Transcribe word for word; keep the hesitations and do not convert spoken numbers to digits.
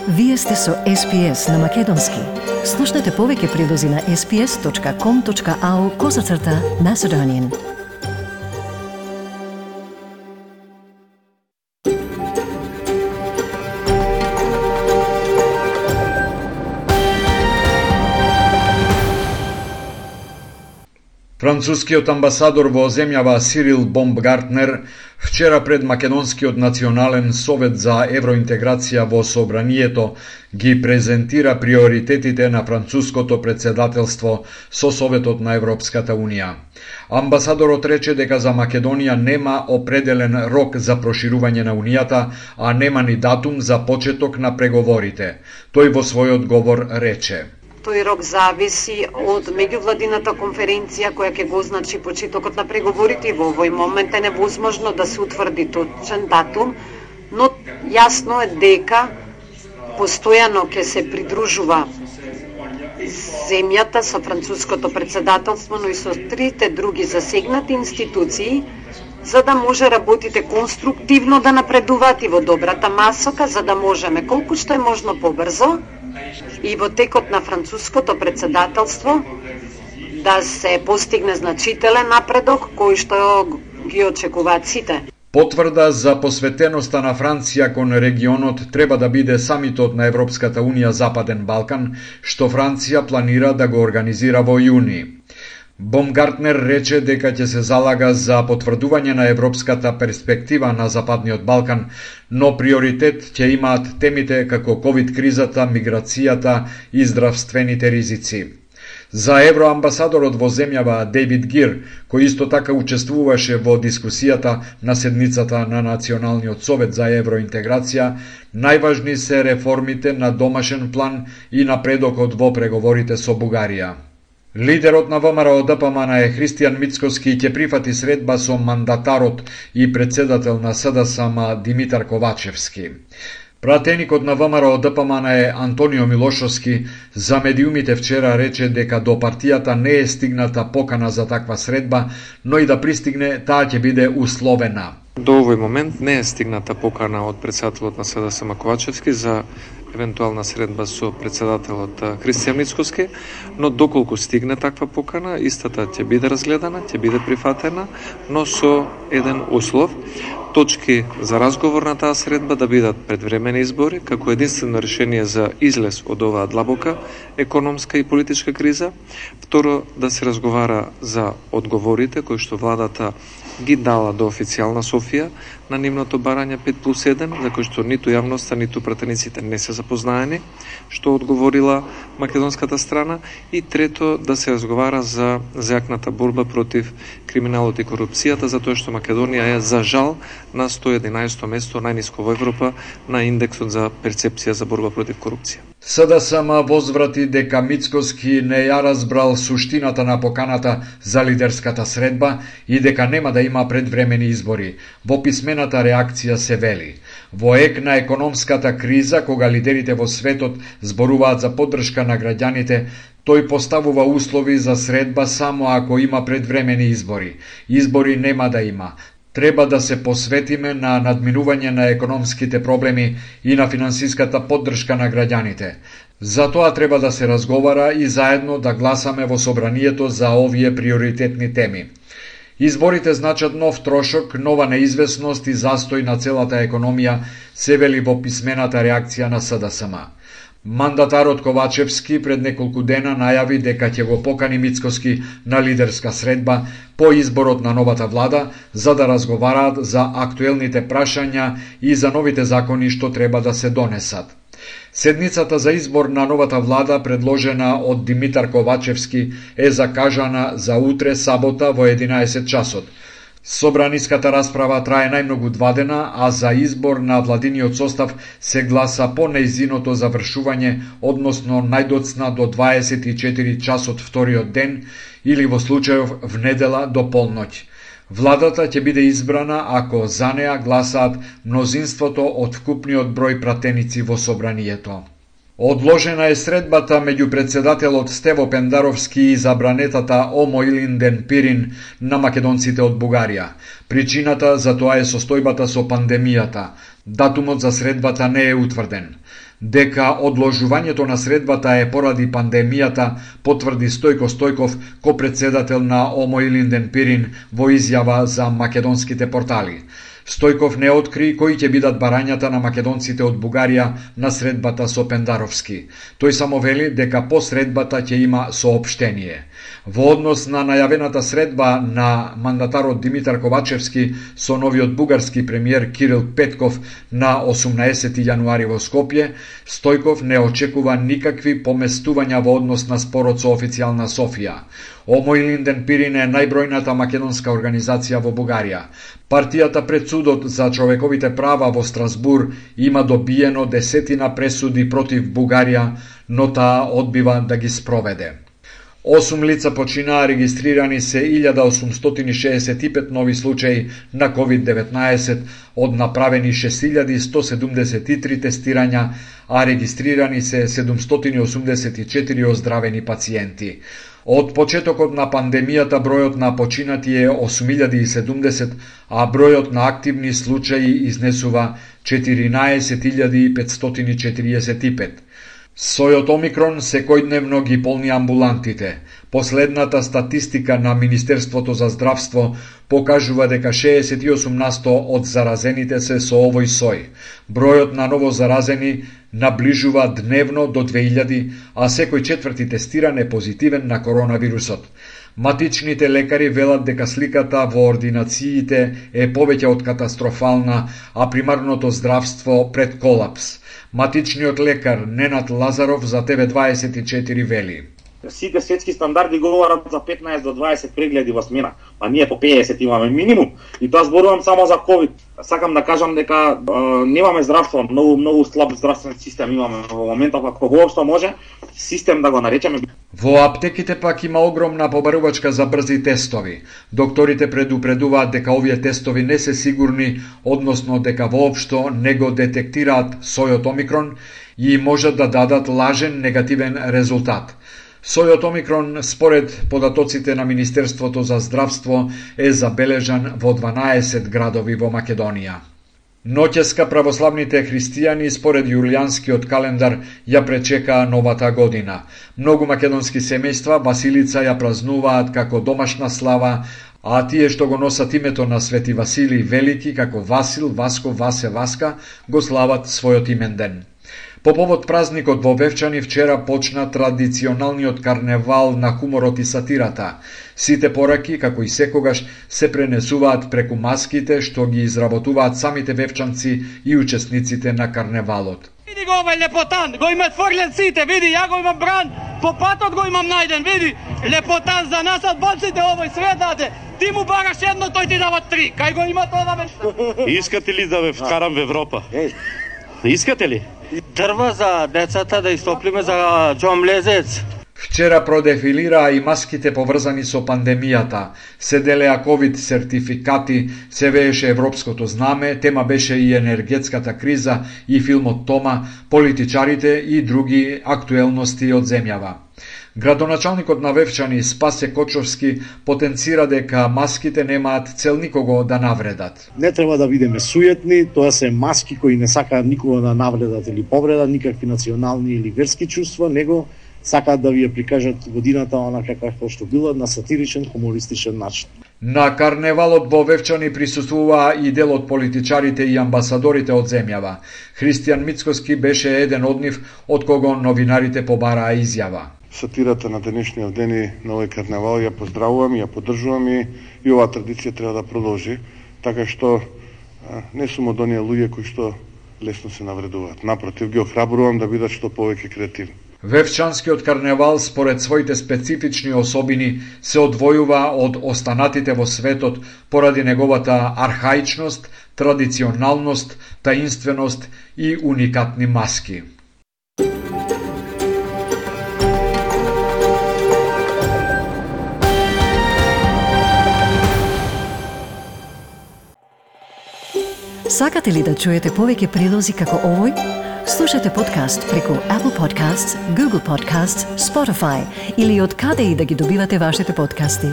Вие сте со Ес Пи Ес на Македонски. Слушнете повеќе прилози на ес пи ес точка ком точка ау козацрта Macedonian. Францускиот амбасадор во земјава Сирил Бомбгартнер вчера пред Македонскиот национален совет за евроинтеграција во собранието ги презентира приоритетите на француското председателство со Советот на Европската Унија. Амбасадорот рече дека за Македонија нема определен рок за проширување на Унијата, а нема ни датум за почеток на преговорите. Тој во својот говор рече: Тој рок зависи од меѓувладината конференција која ќе го означи почетокот на преговорите и во овој момент е невозможно да се утврди точен датум, но јасно е дека постојано ќе се придружува земјата со француското председателство, но и со трите други засегнати институции, за да може работите конструктивно да напредуваат и во добрата масока, за да можеме колку што е можно побрзо и во текот на француското председателство да се постигне значителен напредок кој што ги очекуваат сите. Потврда за посветеноста на Франција кон регионот треба да биде самитот на Европската Унија Западен Балкан, што Франција планира да го организира во јуни. Бомгартнер рече дека ќе се залага за потврдување на европската перспектива на Западниот Балкан, но приоритет ќе имаат темите како ковид кризата, миграцијата и здравствените ризици. За евроамбасадорот во земјава Дейвид Гир, кој исто така учествуваше во дискусијата на седницата на Националниот совет за евроинтеграција, најважни се реформите на домашен план и напредокот во преговорите со Бугарија. Лидерот на ВМРО Д П М Н е Христијан Мицкоски ќе прифати средба со мандатарот и председател на С Д С М Димитар Ковачевски. Пратеникот на ВМРО Д П М Н е Антонио Милошовски за медиумите вчера рече дека до партијата не е стигната покана за таква средба, но и да пристигне, таа ќе биде условена. До овој момент не е стигната покана од председателот на С Д С М Ковачевски за евентуална средба со председателот Христијан Мицкоски, но доколку стигне таква покана, истата ќе биде разгледана, ќе биде прифатена, но со еден услов: точки за разговор на таа средба да бидат предвремени избори, како единствено решение за излез од оваа длабока економска и политичка криза. Второ, да се разговара за одговорите кои што владата ги дала до официјална Софија на нивното барање пет плюс еден, за кој што ниту јавноста, ниту пратениците не се запознаени, што одговорила македонската страна. И трето, да се разговара за зајакната борба против криминалот и корупцијата, затоа што Македонија е, за жал, на сто и единаесто место, најниско во Европа, на индексот за перцепција за борба против корупција. С Д С М возврати дека Мицкоски не ја разбрал суштината на поканата за лидерската средба и дека нема да има предвремени избори. Во писмената реакција се вели: во ек на економската криза, кога лидерите во светот зборуваат за поддршка на граѓаните, тој поставува услови за средба само ако има предвремени избори. Избори нема да има. Треба да се посветиме на надминување на економските проблеми и на финансиската поддршка на граѓаните. За тоа треба да се разговара и заедно да гласаме во собранието за овие приоритетни теми. Изборите значат нов трошок, нова неизвестност и застој на целата економија, се вели во писмената реакција на С Д С М. Мандатарот Ковачевски пред неколку дена најави дека ќе го покани Мицкоски на лидерска средба по изборот на новата влада, за да разговараат за актуелните прашања и за новите закони што треба да се донесат. Седницата за избор на новата влада, предложена од Димитар Ковачевски, е закажана за утре, сабота, во единаесет часот. Собраниската расправа трае најмногу два дена, а за избор на владиниот состав се гласа по нејзиното завршување, односно најдоцна до дваесет и четири часот вториот ден или во случајов внедела до полноќ. Владата ќе биде избрана ако за неа гласаат мнозинството од вкупниот број пратеници во собранието. Одложена е средбата меѓу председателот Стево Пендаровски и забранетата Омо Илинден Пирин на македонците од Бугарија. Причината за тоа е состојбата со пандемијата. Датумот за средбата не е утврден. Дека одложувањето на средбата е поради пандемијата, потврди Стојко Стојков, ко-председател на Омоилинден-Пирин, во изјава за македонските портали. Стојков не откри кои ќе бидат барањата на македонците од Бугарија на средбата со Пендаровски. Тој само вели дека по средбата ќе има соопштение. Во однос на најавената средба на мандатарот Димитар Ковачевски со новиот бугарски премиер Кирил Петков на осумнаесети јануари во Скопје, Стојков не очекува никакви поместувања во однос на спорот со официјална Софија. Омоилинден-Пирин е најбројната македонска организација во Бугарија. Партијата пред судот за човековите права во Страсбур има добиено десетина пресуди против Бугарија, но таа одбива да ги спроведе. Осум лица починаа, регистрирани се илјада осумстотини шеесет и пет нови случаи на ковид деветнаесет, од направени шест илјади сто седумдесет и три тестирања, а регистрирани се седумстотини осумдесет и четири оздравени пациенти. Од почетокот на пандемијата бројот на починати е осум илјади и седумдесет, а бројот на активни случаи изнесува четиринаесет илјади петстотини четириесет и пет. Сојот Омикрон секојдневно ги полни амбулантите. Последната статистика на Министерството за здравство покажува дека шеесет и осум насто од заразените се со овој сој. Бројот на ново заразени наближува дневно до две илјади, а секој четврти тестиран е позитивен на коронавирусот. Матичните лекари велат дека сликата во ординациите е повеќе од катастрофална, а примарното здравство пред колапс. Матичниот лекар Ненад Лазаров за Т В дваесет и четири вели: Сите светски стандарди говорат за петнаесет до дваесет прегледи во смена, а ние по педесет имаме минимум. И тоа зборувам само за ковид. Сакам да кажам дека е, немаме здравство, многу многу слаб здравствен систем имаме во моментов, ако воопшто може систем да го наречеме. Во аптеките пак има огромна побарувачка за брзи тестови. Докторите предупредуваат дека овие тестови не се сигурни, односно дека воопшто не го детектираат сојот Омикрон и можат да дадат лажен негативен резултат. Сојот Омикрон, според податоците на Министерството за здравство, е забележан во дванаесет градови во Македонија. Ноќеска православните христијани според јулијанскиот календар ја пречекаа новата година. Многу македонски семејства Василица ја празнуваат како домашна слава, а тие што го носат името на Свети Василий Велики како Васил, Васко, Васе, Васка го слават својот именден. По повод празникот во Вевчани вчера почна традиционалниот карневал на хуморот и сатирата. Сите пораки, како и секогаш, се пренесуваат преку маските што ги изработуваат самите вевчанци и учесниците на карневалот. Види го овај лепотан, го имат форлен сите, види, ја го имам бран, по патот го имам најден, види, лепотан за нас од бонците овој све даде. Ти му бараш едно, тој ти дава три, кај го има тоа бе? Искате ли да ве вкарам во Европа? Искате ли? Дрва за децата да истоплиме за Џон Лезец. Вчера продефилираа и маските поврзани со пандемијата. Се делеа ковид сертификати, се вееше европското знаме, тема беше и енергетската криза и филмот Тома, политичарите и други актуелности од земјава. Градоначалникот на Вевчани Спасе Кочовски потенцира дека маските немаат цел никого да навредат. Не треба да бидеме суетни, тоа се маски кои не сакаат никого да навредат или повредат, никакви национални или верски чувства, него сакаат да ви ја прикажат годината онака како што била, на сатиричен, хумористичен начин. На карневалот во Вевчани присуствуваа и дел од политичарите и амбасадорите од земјава. Христијан Мицкоски беше еден од нив, од кого новинарите побараа изјава. Сатирата на денешниот ден и на овој карневал ја поздравувам, ја поддржувам и, и оваа традиција треба да продолжи, така што а, не сум од оние луѓе кои што лесно се навредуваат. Напротив, ги охрабрувам да бидат што повеќе креативни. Вевчанскиот карневал, според своите специфични особини, се одвојува од останатите во светот поради неговата архаичност, традиционалност, таинственост и уникатни маски. Сакате ли да чуете повеќе прилози како овој? Слушате подкаст преку Apple Podcasts, Google Podcasts, Spotify или од каде и да ги добивате вашите подкасти.